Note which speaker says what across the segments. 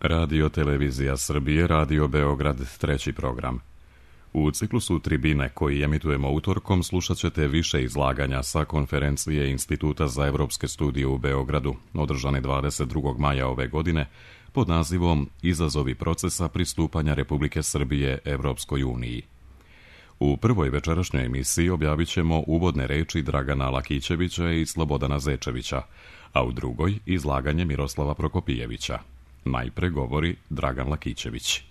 Speaker 1: Radio Televizija Srbije, Radio Beograd, treći program. U ciklusu Tribine, koji emitujemo utorkom, slušat ćete više izlaganja sa konferencije Instituta za evropske studije u Beogradu, održane 22. maja ove godine, pod nazivom Izazovi procesa pristupanja Republike Srbije Evropskoj uniji. U prvoj večerašnjoj emisiji objavit ćemo uvodne reči Dragana Lakićevića i Slobodana Zečevića, a u drugoj izlaganje Miroslava Prokopijevića. Najpre govori Dragan Lakićević.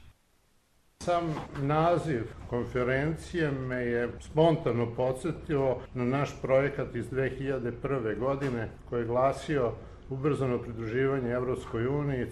Speaker 2: Sam naziv konferencije me je spontano podsjetio na naš projekat iz 2001. godine koji je glasio ubrzano pridruživanje Evropskoj uniji,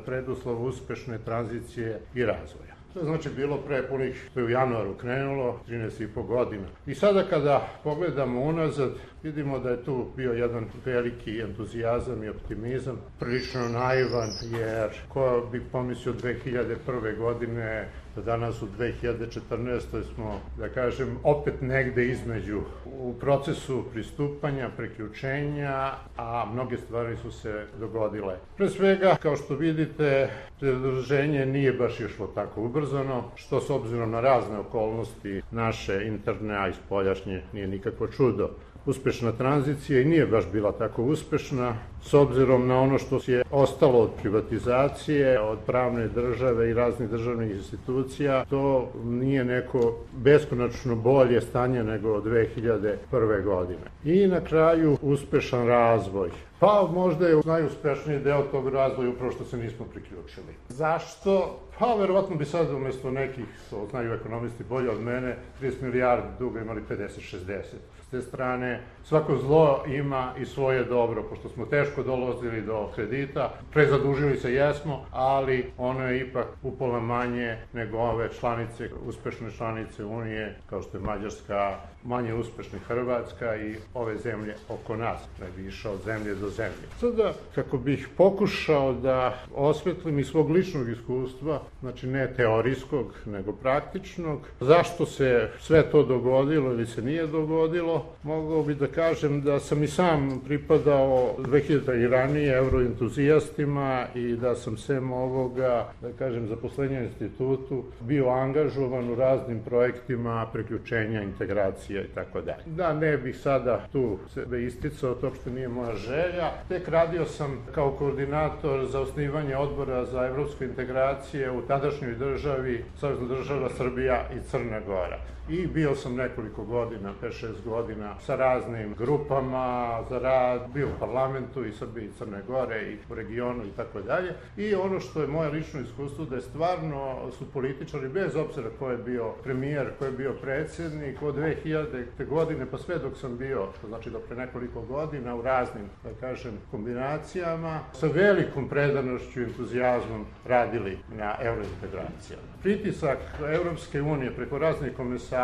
Speaker 2: preduslov uspešne tranzicije i razvoja. To je znači bilo pre punih, to je u januaru krenulo, 13,5 godina. I sada kada pogledamo unazad, vidimo da je tu bio jedan veliki entuzijazam i optimizam, prilično naivan, jer ko bi pomislio 2001. godine, da danas u 2014. smo, da kažem, opet negde između u procesu pristupanja, priključenja, a mnoge stvari su se dogodile. Pre svega, kao što vidite, pridruženje nije baš išlo tako ubrzano, što s obzirom na razne okolnosti naše interne, a i spoljašnje, nije nikakvo čudo. Uspešna tranzicija i nije baš bila tako uspešna, s obzirom na ono što je ostalo od privatizacije, od pravne države i raznih državnih institucija, to nije neko beskonačno bolje stanje nego od 2001. godine. I na kraju uspešan razvoj. Pa možda je najuspešniji deo tog razvoja upravo što se nismo priključili. Zašto? Pa verovatno bi sad umjesto nekih, to znaju ekonomisti bolje od mene, 30 milijardi duga imali 50-60. S te strane, svako zlo ima i svoje dobro, pošto smo teško dolazili do kredita, prezadužili se jesmo, ali ono je ipak upola manje nego ove članice, uspešne članice Unije, kao što je Mađarska, manje uspešna Hrvatska i ove zemlje oko nas, ne bi išao od zemlje do zemlje. Sada, kako bih pokušao da osvetlim iz svog ličnog iskustva, znači ne teorijskog, nego praktičnog, zašto se sve to dogodilo ili se nije dogodilo, mogao bih da kažem da sam i sam pripadao 2000 i ranije euroentuzijastima i da sam sem ovoga, da kažem, zaposlenja institutu bio angažovan u raznim projektima priključenja, integracija i tako dalje. Da ne bih sada tu sebe isticao, to uopšte nije moja želja. Tek radio sam kao koordinator za osnivanje odbora za evropske integracije u tadašnjoj državi, Savezna država Srbija i Crna Gora. I bio sam nekoliko godina, 5-6 godina, sa raznim grupama za rad, bio u parlamentu i Srbije i Crne Gore i u regionu i tako dalje. I ono što je moje lično iskustvo, da je stvarno su političari, bez obzira ko je bio premijer, ko je bio predsjednik, od 2000. godine pa sve dok sam bio, to znači do pre nekoliko godina, u raznim, da kažem, kombinacijama, sa velikom predanošću i entuzijazmom radili na eurointegracijama. Pritisak Evropske unije preko raznih komisara,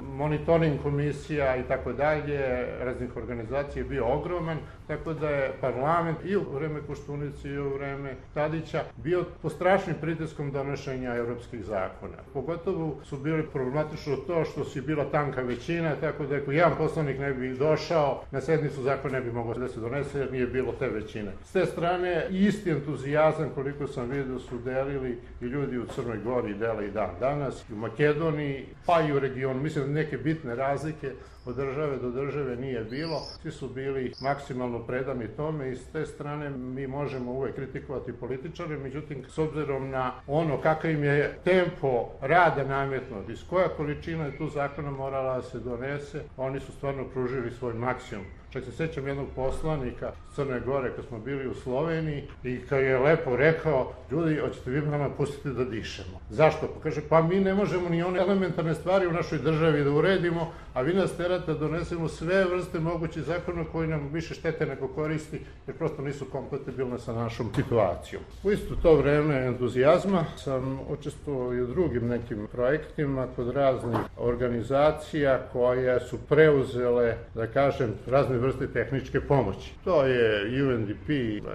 Speaker 2: monitoring komisija i tako dalje, raznih organizacija je bio ogroman, tako da je parlament i u vreme Koštunice i u vreme Tadića bio pod strašnim pritiskom donošenja evropskih zakona. Pogotovo su bili problematično to što si bila tanka većina, tako da ako jedan poslanik ne bi došao, na sednicu zakon ne bi mogao da se donese jer nije bilo te većine. S te strane, isti entuzijazam koliko sam vidio su delili i ljudi u Crnoj Gori dele i dan danas, i u Makedoniji, pa i u regionu. Mislim da neke bitne razlike od države do države nije bilo. Svi su bili maksimalno predani tome i s te strane mi možemo uvek kritikovati političare, međutim, s obzirom na ono kakav im je tempo rada nametnut, iz koja količina je tu zakona morala da se donese, oni su stvarno pružili svoj maksimum. Čak se sećam jednog poslanika Crne Gore kad smo bili u Sloveniji i kad je lepo rekao, ljudi, hoćete vi nama pustiti da dišemo. Zašto? Pa kaže, pa mi ne možemo ni one elementarne stvari u našoj državi da uredimo, a vi nas terate da donesemo sve vrste mogućih zakona koji nam više štete nego koristi, jer prosto nisu kompatibilne sa našom situacijom. U isto to vreme entuzijazma sam učestvovao i u drugim nekim projektima kod raznih organizacija koje su preuzele, da kažem, razne vrste tehničke pomoći. To je UNDP,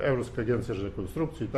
Speaker 2: Evropska agencija za rekonstrukciju i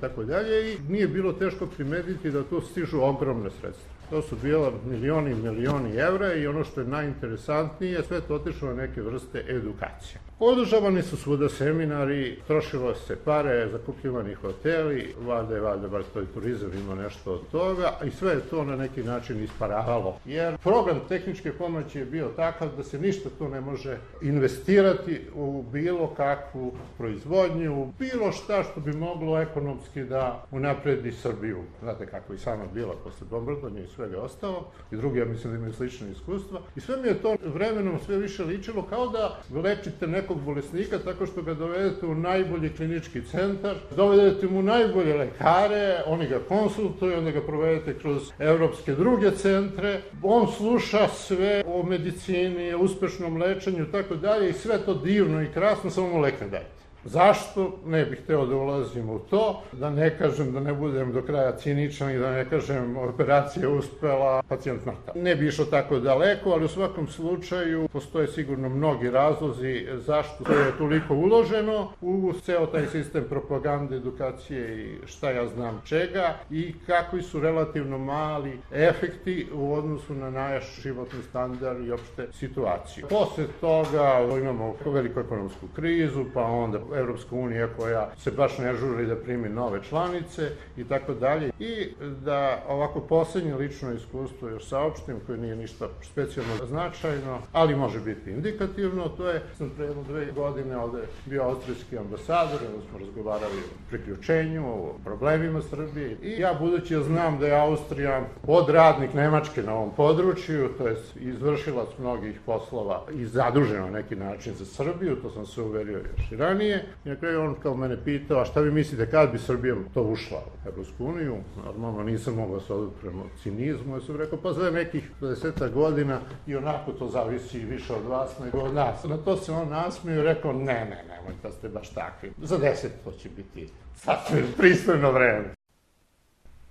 Speaker 2: tako dalje i nije bilo teško primetiti da tu stižu ogromne sredstva. To su bila milioni evra i ono što je najinteresantnije, sve to otišlo na neke vrste edukacije. Održavani su svuda seminari, trošilo se pare, zakupljivani hoteli, valjda bar to i turizam ima nešto od toga, i sve je to na neki način isparavalo. Jer program tehničke pomoći je bio takav da se ništa tu ne može investirati u bilo kakvu proizvodnju, u bilo šta što bi moglo ekonomski da unapredi Srbiju. Znate kako i sama bila posle bombardovanja i svega ostalo, i drugi, ja mislim da imaju slične iskustva. I sve mi je to vremenom sve više ličilo kao da lečite nekog bolesnika tako što ga dovedete u najbolji klinički centar, dovedete mu najbolje lekare, oni ga konsultuju, onda ga provedete kroz evropske druge centre, on sluša sve o medicini, o uspešnom lečenju i tako dalje, i sve to divno i krasno, samo mu lek ne dajte. Zašto? Ne bih hteo da ulazim u to, da ne kažem, da ne budem do kraja ciničan i da ne kažem operacija uspela, pacijent mrtav. Ne bi išao tako daleko, ali u svakom slučaju postoje sigurno mnogi razlozi zašto je toliko uloženo u ceo taj sistem propagande, edukacije i šta ja znam čega, i kakvi su relativno mali efekti u odnosu na naš životni standard i opšte situaciju. Posle toga imamo veliku ekonomsku krizu, pa onda Evropska unija koja se baš ne žuri da primi nove članice i tako dalje. I da ovako poslednje lično iskustvo još saopštim, koje nije ništa specijalno značajno, ali može biti indikativno, to je, sam pre 2 godine ovde bio austrijski ambasador, onda smo razgovarali o priključenju, o problemima Srbije, i ja, budući ja znam da je Austrija podradnik Nemačke na ovom području, to je izvršilac mnogih poslova i zadužen na neki način za Srbiju, to sam se uverio još i ranije. I na kraju on kao mene pitao, a šta vi mislite kad bi Srbija to ušla u Evropsku uniju? Normalno nisam mogao se odupremo cinizmu, ja sam rekao, pa za nekih 20 godina i onako to zavisi više od vas nego od nas. Na to se on nasmio i rekao, nemoj da ste baš takvi. Za 10 to će biti sasvim pristojno vreme.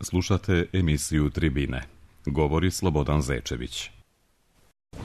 Speaker 1: Slušate emisiju Tribine. Govori Slobodan Zečević.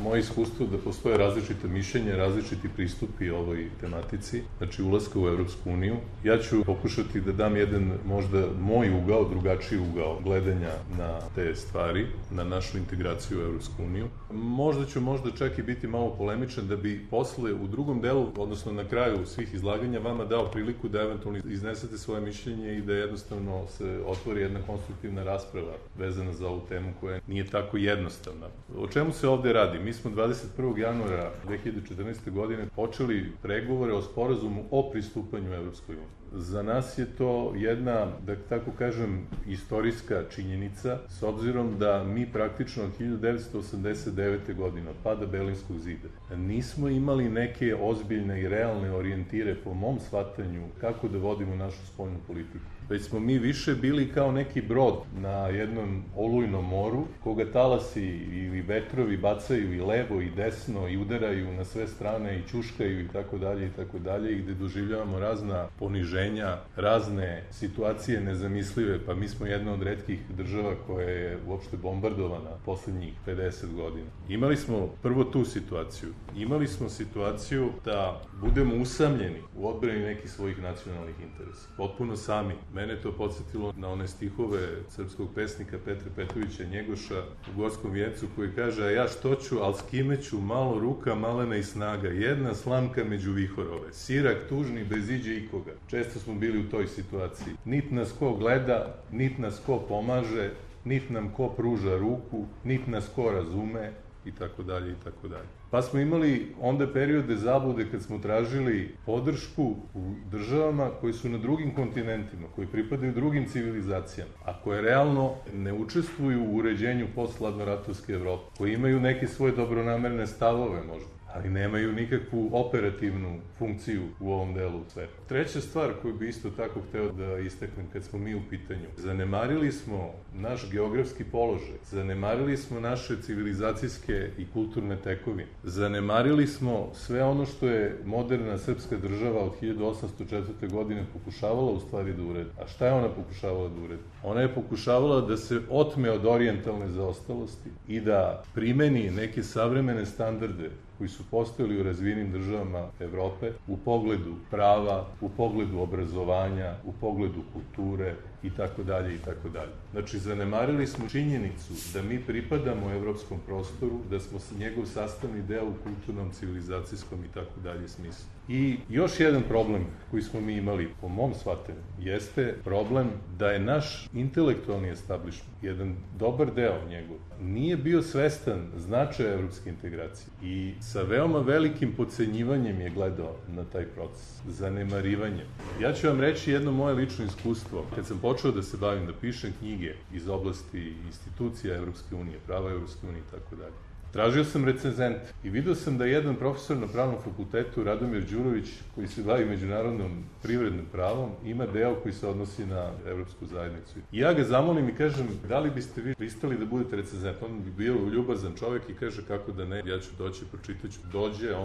Speaker 3: Moje iskustvo da postoje različite mišljenja, različiti pristupi ovoj tematici, znači ulaska u Evropsku uniju. Ja ću pokušati da dam jedan možda moj ugao, drugačiji ugao gledanja na te stvari, na našu integraciju u Evropsku uniju. Možda ću čak i biti malo polemičan da bi posle u drugom delu, odnosno na kraju svih izlaganja, vama dao priliku da eventualno iznesete svoje mišljenje i da jednostavno se otvori jedna konstruktivna rasprava vezana za ovu temu koja nije tako jednostavna. O čemu se ovde radi? Mi smo 21. januara 2014. godine počeli pregovore o sporazumu o pristupanju Evropskoj uniji. Za nas je to jedna, da tako kažem, istorijska činjenica, s obzirom da mi praktično od 1989. godine, od pada Berlinskog zida, nismo imali neke ozbiljne i realne orijentire po mom shvatanju kako da vodimo našu spoljnu politiku. Već smo mi više bili kao neki brod na jednom olujnom moru, koga talasi ili vetrovi bacaju i levo i desno i udaraju na sve strane i ćuškaju i tako dalje, i gde doživljavamo razna poniženja, razne situacije nezamislive, pa mi smo jedna od retkih država koja je uopšte bombardovana poslednjih 50 godina. Imali smo prvo tu situaciju. Imali smo situaciju da budemo usamljeni u odbrani nekih svojih nacionalnih interesa. Potpuno sami. Mene to podsjetilo na one stihove srpskog pesnika Petra Petrovića Njegoša u Gorskom vijencu, koji kaže, a ja što ću, al s kime ću, malo ruka, malena i snaga, jedna slamka među vihorove, sirak tužni bez iđe ikoga. Često smo bili u toj situaciji. Nit nas ko gleda, nit nas ko pomaže, nit nam ko pruža ruku, nit nas ko razume, i tako dalje, i tako dalje. Pa smo imali onda periode zablude kad smo tražili podršku u državama koji su na drugim kontinentima, koji pripadaju drugim civilizacijama, a koje realno ne učestvuju u uređenju posthladnoratovske Evrope, koji imaju neke svoje dobronamerne stavove možda, ali nemaju nikakvu operativnu funkciju u ovom delu sveta. Treća stvar koju bi isto tako hteo da istaknem kad smo mi u pitanju, zanemarili smo naš geografski položaj, zanemarili smo naše civilizacijske i kulturne tekovine, zanemarili smo sve ono što je moderna srpska država od 1804. godine pokušavala u stvari da uredi. A šta je ona pokušavala da uredi? Ona je pokušavala da se otme od orijentalne zaostalosti i da primeni neke savremene standarde koji su postojali u razvijenim državama Evrope u pogledu prava, u pogledu obrazovanja, u pogledu kulture i tako dalje i tako dalje. Znači, zanemarili smo činjenicu da mi pripadamo evropskom prostoru, da smo njegov sastavni deo u kulturnom, civilizacijskom i tako dalje smislu. I još jedan problem koji smo mi imali, po mom shvatanju, jeste problem da je naš intelektualni establishment, jedan dobar deo njegov, nije bio svestan značaja evropske integracije i sa veoma velikim podcenjivanjem je gledao na taj proces, zanemarivanjem. Ja ću vam reći jedno moje lično iskustvo. Kad sam počeo da se bavim, da pišem knjige iz oblasti institucija Evropske unije, prava Evropske unije i tako dalje, tražio sam recenzent i video sam da jedan profesor na Pravnom fakultetu, Radomir Đurović, koji se bavi međunarodnom privrednim pravom, ima deo koji se odnosi na Evropsku zajednicu. I ja ga zamolim i kažem, da li biste vi pristali da budete recenzent? On bi bio ljubazan čovjek i kaže, kako da ne, ja ću doći, pročitaću. Dođe,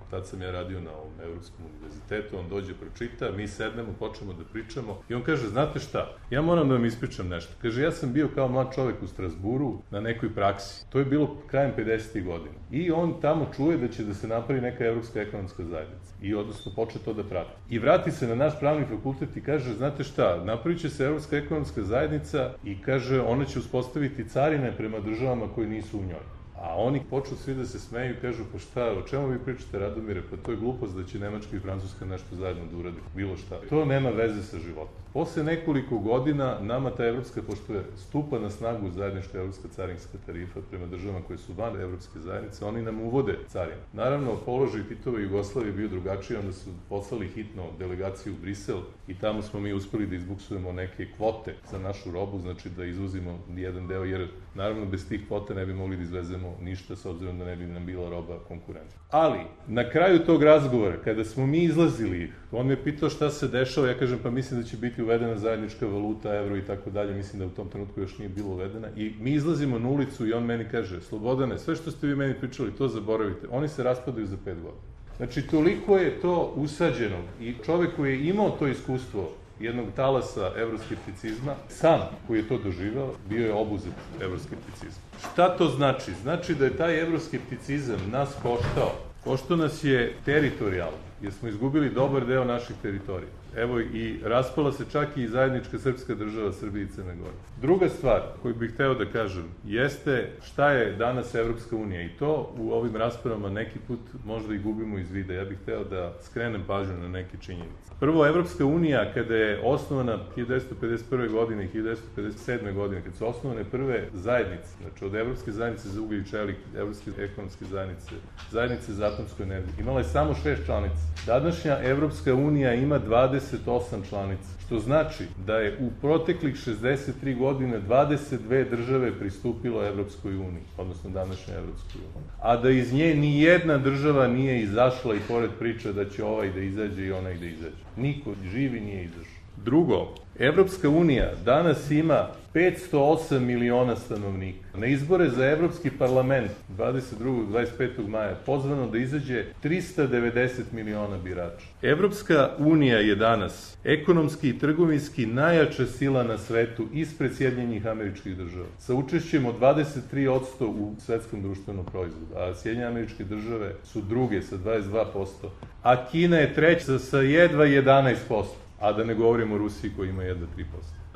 Speaker 3: tad sam ja radio na ovom Evropskom univerzitetu, on dođe, pročita, mi sednemo, počnemo da pričamo i on kaže, znate šta, ja moram da vam ispričam nešto. Kaže, ja sam bio kao mlad čovjek u Strasburu na nekoj praksi. To je bilo krajem 50. godina. I on tamo čuje da će da se napravi neka Evropska ekonomska zajednica. I odnosno poče to da prati. I vrati se na naš pravni fakultet i kaže, znate šta, napravit će se Evropska ekonomska zajednica i kaže, ona će uspostaviti carine prema državama koje nisu u njoj. A oni počnu svi da se smeju i kažu, pa šta, o čemu vi pričate, Radomire, pa to je glupost da će Nemačka i Francuska nešto zajedno da uradi, bilo šta. To nema veze sa životom. Posle nekoliko godina nama ta evropska, pošto je stupa na snagu zajednička evropska carinska tarifa prema državama koje su van evropske zajednice, oni nam uvode carine. Naravno, položaj Titove Jugoslavije bio drugačiji, onda su poslali hitno delegaciju u Brisel i tamo smo mi uspeli da izbuksujemo neke kvote za našu robu, znači da izvozimo jedan deo, jer naravno bez tih kvota ne bi mogli da izvezemo ništa, s obzirom da ne bi nam bila roba konkurentna. Ali, na kraju tog razgovora, kada smo mi izlazili, on me pitao šta se dešava, ja kažem, pa mislim da će biti uvedena zajednička valuta, evro i tako dalje, mislim da u tom trenutku još nije bilo uvedena, i mi izlazimo na ulicu i on meni kaže, Slobodane, sve što ste vi meni pričali, to zaboravite, oni se raspadaju za 5 godina. Znači, toliko je to usađeno i čovek koji je imao to iskustvo jednog talasa evroskepticizma, sam koji je to doživao, bio je obuzet evroskepticizma. Šta to znači? Znači da je taj evroskepticizam nas koštao. Koštao nas je teritorijalno, jer smo izgubili dobar deo naših teritorija. Evo i raspala se čak i zajednička srpska država Srbije i Crne Gore. Druga stvar koju bih hteo da kažem jeste šta je danas Evropska unija i to u ovim raspravama neki put možda i gubimo iz vida. Ja bih hteo da skrenem pažnju na neke činjenice. Prvo, Evropska unija kada je osnovana 1951. godine i 1957. godine, kad su osnovane prve zajednice, znači od Evropske zajednice za ugalj i čelik, Evropske ekonomske zajednice, zajednice za atomsku energiju, imala je samo 6 članica. Današnja Evropska unija ima 28 članica, što znači da je u proteklih 63 godine 22 države pristupilo Evropskoj uniji, odnosno današnjoj Evropskoj uniji. A da iz nje ni jedna država nije izašla i pored priča da će ovaj da izađe i onaj da izađe. Niko živi nije izašao. Drugo, Evropska unija danas ima 508 miliona stanovnika. Na izbore za Evropski parlament 22. 25. maja pozvano da izađe 390 miliona birača. Evropska unija je danas ekonomski i trgovinski najjača sila na svetu ispred Sjedinjenih Američkih Država, sa učešćem od 23% u svetskom društvenom proizvodu, a Sjedinjene Američke Države su druge sa 22%, a Kina je treća sa jedva 11%. A da ne govorimo o Rusiji koji ima jedva 3%.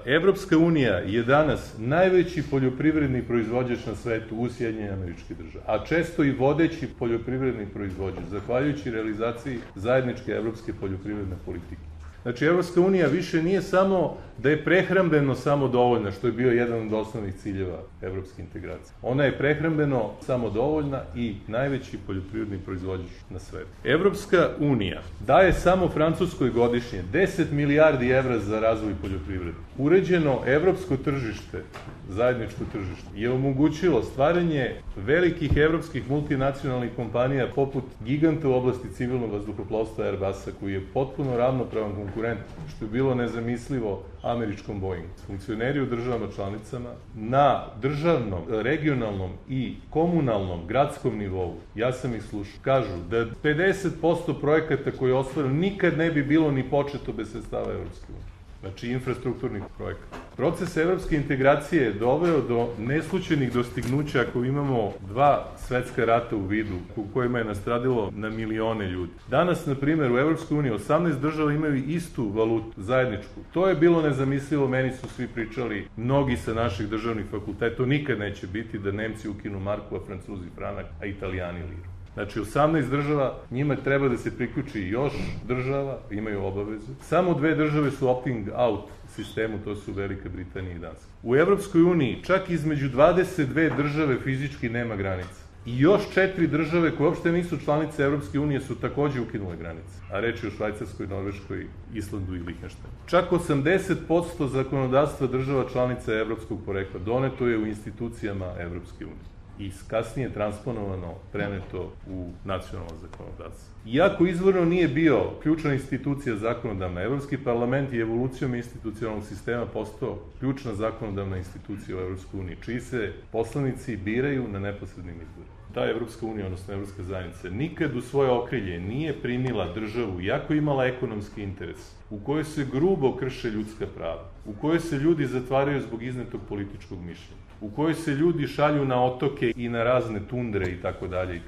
Speaker 3: Evropska unija je danas najveći poljoprivredni proizvođač na svetu u Sjedinjenih Američkih Država, a često i vodeći poljoprivredni proizvođač, zahvaljujući realizaciji zajedničke evropske poljoprivredne politike. Znači, Evropska unija više nije samo da je prehrambeno samodovoljna, što je bio jedan od osnovnih ciljeva evropske integracije. Ona je prehrambeno samodovoljna i najveći poljoprivredni proizvođač na svetu. Evropska unija daje samo Francuskoj godišnje 10 milijardi evra za razvoj poljoprivrede. Uređeno evropsko tržište, zajedničko tržište, je omogućilo stvaranje velikih evropskih multinacionalnih kompanija poput giganta u oblasti civilnog vazduhoplovstva Airbusa, koji je potpuno ravnopravan konkurent, što je bilo nezamislivo američkom Boeingu. Funkcioneri u državama članicama na državnom, regionalnom i komunalnom, gradskom nivou, ja sam ih slušao, kažu da 50% projekata koje je ostvareno nikad ne bi bilo ni početo bez sredstava Evropske unije. Znači, infrastrukturnih projekata. Proces evropske integracije je doveo do neslućenih dostignuća ako imamo 2 svetska rata u vidu, u kojima je nastradilo na milione ljudi. Danas, na primjer, u Evropskoj uniji 18 država imaju istu valutu, zajedničku. To je bilo nezamislivo, meni su svi pričali, mnogi sa naših državnih fakulteta, to nikad neće biti da Nemci ukinu marku, a Francuzi franak, a Italijani liru. Znači, 18 država, njima treba da se priključi još država, imaju obavezu. Samo 2 države su opting out sistemu, to su Velika Britanija i Danska. U Evropskoj uniji čak između 22 države fizički nema granica. I još 4 države koje uopšte nisu članice Evropske unije su takođe ukinule granice. A reč je o Švajcarskoj, Norveškoj, Islandu i Lihtenštajnu. Čak 80% zakonodavstva država članica evropskog porekla doneto je u institucijama Evropske unije i kasnije transponovano, preneto u nacionalno zakonodavstvo. Iako izvorno nije bio ključna institucija zakonodavna, Evropski parlament je evolucijom institucionalnog sistema postao ključna zakonodavna institucija u Evropskoj uniji, čiji se poslanici biraju na neposrednim izborima. Ta Evropska unija, odnosno Evropska zajednica, nikad u svoje okrilje nije primila državu, iako imala ekonomski interes, u kojoj se grubo krše ljudska prava, u kojoj se ljudi zatvaraju zbog iznetog političkog mišljenja, u kojoj se ljudi šalju na otoke i na razne tundre i tako dalje,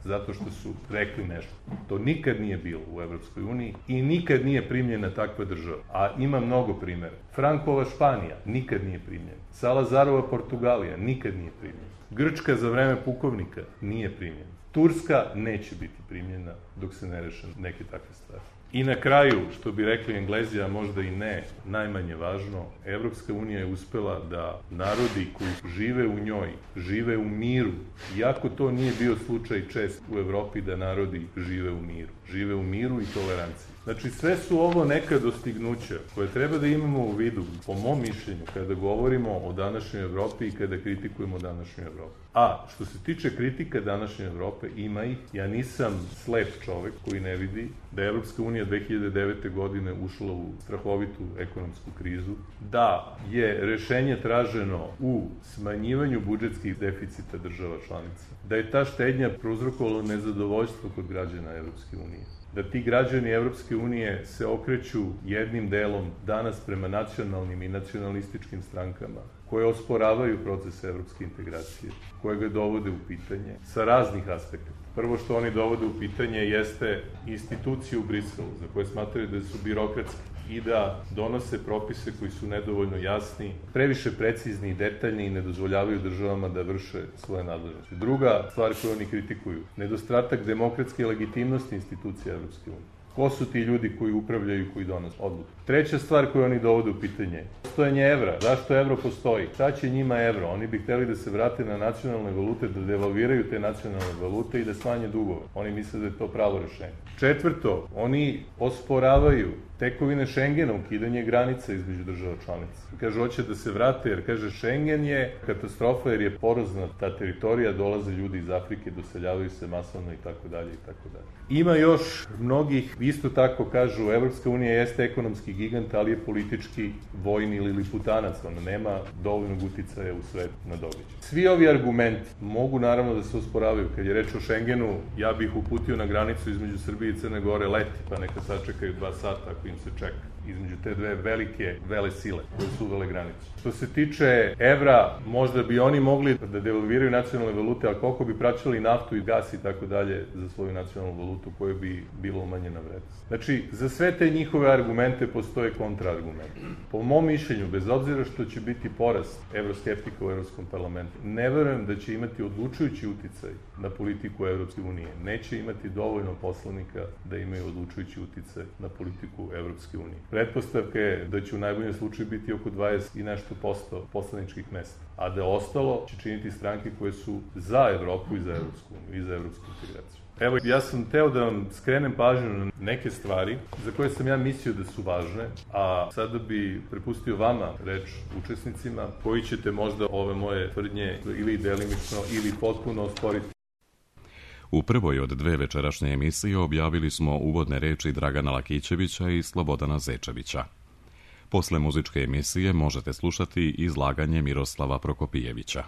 Speaker 3: zato što su rekli nešto. To nikad nije bilo u Evropskoj uniji i nikad nije primljena takva država. A ima mnogo primjera. Frankova Španija nikad nije primljena. Salazarova Portugalija nikad nije primljena. Grčka za vreme pukovnika nije primljena. Turska neće biti primljena dok se ne reše neke takve stvari. I na kraju, što bi rekli Englezi, a možda i ne, najmanje važno, Evropska unija je uspela da narodi koji žive u njoj, žive u miru, iako to nije bio slučaj čest u Evropi da narodi žive u miru. Žive u miru i toleranciji. Znači, sve su ovo neka dostignuća koje treba da imamo u vidu, po mom mišljenju, kada govorimo o današnjoj Evropi i kada kritikujemo današnju Evropu. A, što se tiče kritika današnje Evrope, ima ih. Ja nisam slep čovek koji ne vidi da je Evropska unija 2009. godine ušla u strahovitu ekonomsku krizu, da je rešenje traženo u smanjivanju budžetskih deficita država članica, da je ta štednja prouzrokovala nezadovoljstvo kod građana Evropske unije, da ti građani Evropske unije se okreću jednim delom danas prema nacionalnim i nacionalističkim strankama, koje osporavaju proces evropske integracije, koje ga dovode u pitanje sa raznih aspekta. Prvo što oni dovode u pitanje jeste institucije u Briselu, za koje smatraju da su birokratski i da donose propise koji su nedovoljno jasni, previše precizni i detaljni i ne dozvoljavaju državama da vrše svoje nadležnosti. Druga stvar koju oni kritikuju, nedostatak demokratske legitimnosti institucija Evropske unije. Ko su ti ljudi koji upravljaju i koji donose odluke? Treća stvar koju oni dovode u pitanje, postojanje evra. Zašto evro postoji? Šta će njima evro? Oni bi hteli da se vrate na nacionalne valute, da devalviraju te nacionalne valute i da smanje dugove. Oni misle da je to pravo rešenje. Četvrto, oni osporavaju tekovine Šengena, ukidanje granica između država članica. Kaže, hoće da se vrate, jer kaže, Šengen je katastrofa jer je porozna ta teritorija, dolaze ljudi iz Afrike, doseljavaju se masovno i tako dalje i tako dalje. Ima još mnogih, isto tako kažu, Evropska unija jeste ekonomski gigant, ali je politički vojni ili liputanac, ona nema dovoljnog uticaja u svetu na događaj. Svi ovi argumenti mogu naravno da se osporavaju. Kad je reč o Šengenu, ja bih uputio na granicu između Srbije i Crne Gore leti, pa neka sačekaju 2 sata ako im se čeka između te dve velike vele sile koje su uvele granicu. Što se tiče evra, možda bi oni mogli da devalviraju nacionalne valute, ali koliko bi praćali naftu i gas i tako dalje za svoju nacionalnu valutu koje bi bilo umanjena vrednost. Znači, za sve te njihove argumente postoje kontraargumenti. Po mom mišljenju, bez obzira što će biti porast evroskeptika u Evropskom parlamentu, ne verujem da će imati odlučujući uticaj na politiku Evropske unije. Neće imati dovoljno poslanika da imaju odlučujući uticaj na politiku Evropske unije. Pretpostavka je da će u najboljem slučaju biti oko 20 i nešto posto poslaničkih mesta, a da ostalo će činiti stranke koje su za Evropu i za Evropsku uniju i za evropsku integraciju. Evo, ja sam teo da vam skrenem pažnju na neke stvari za koje sam ja mislio da su važne, a sada bi prepustio vama reč učesnicima koji ćete možda ove moje tvrdnje ili delimično ili potpuno osporiti.
Speaker 1: U prvoj od 2 večerašnje emisije objavili smo uvodne reči Dragana Lakićevića i Slobodana Zečevića. Posle muzičke emisije možete slušati izlaganje Miroslava Prokopijevića.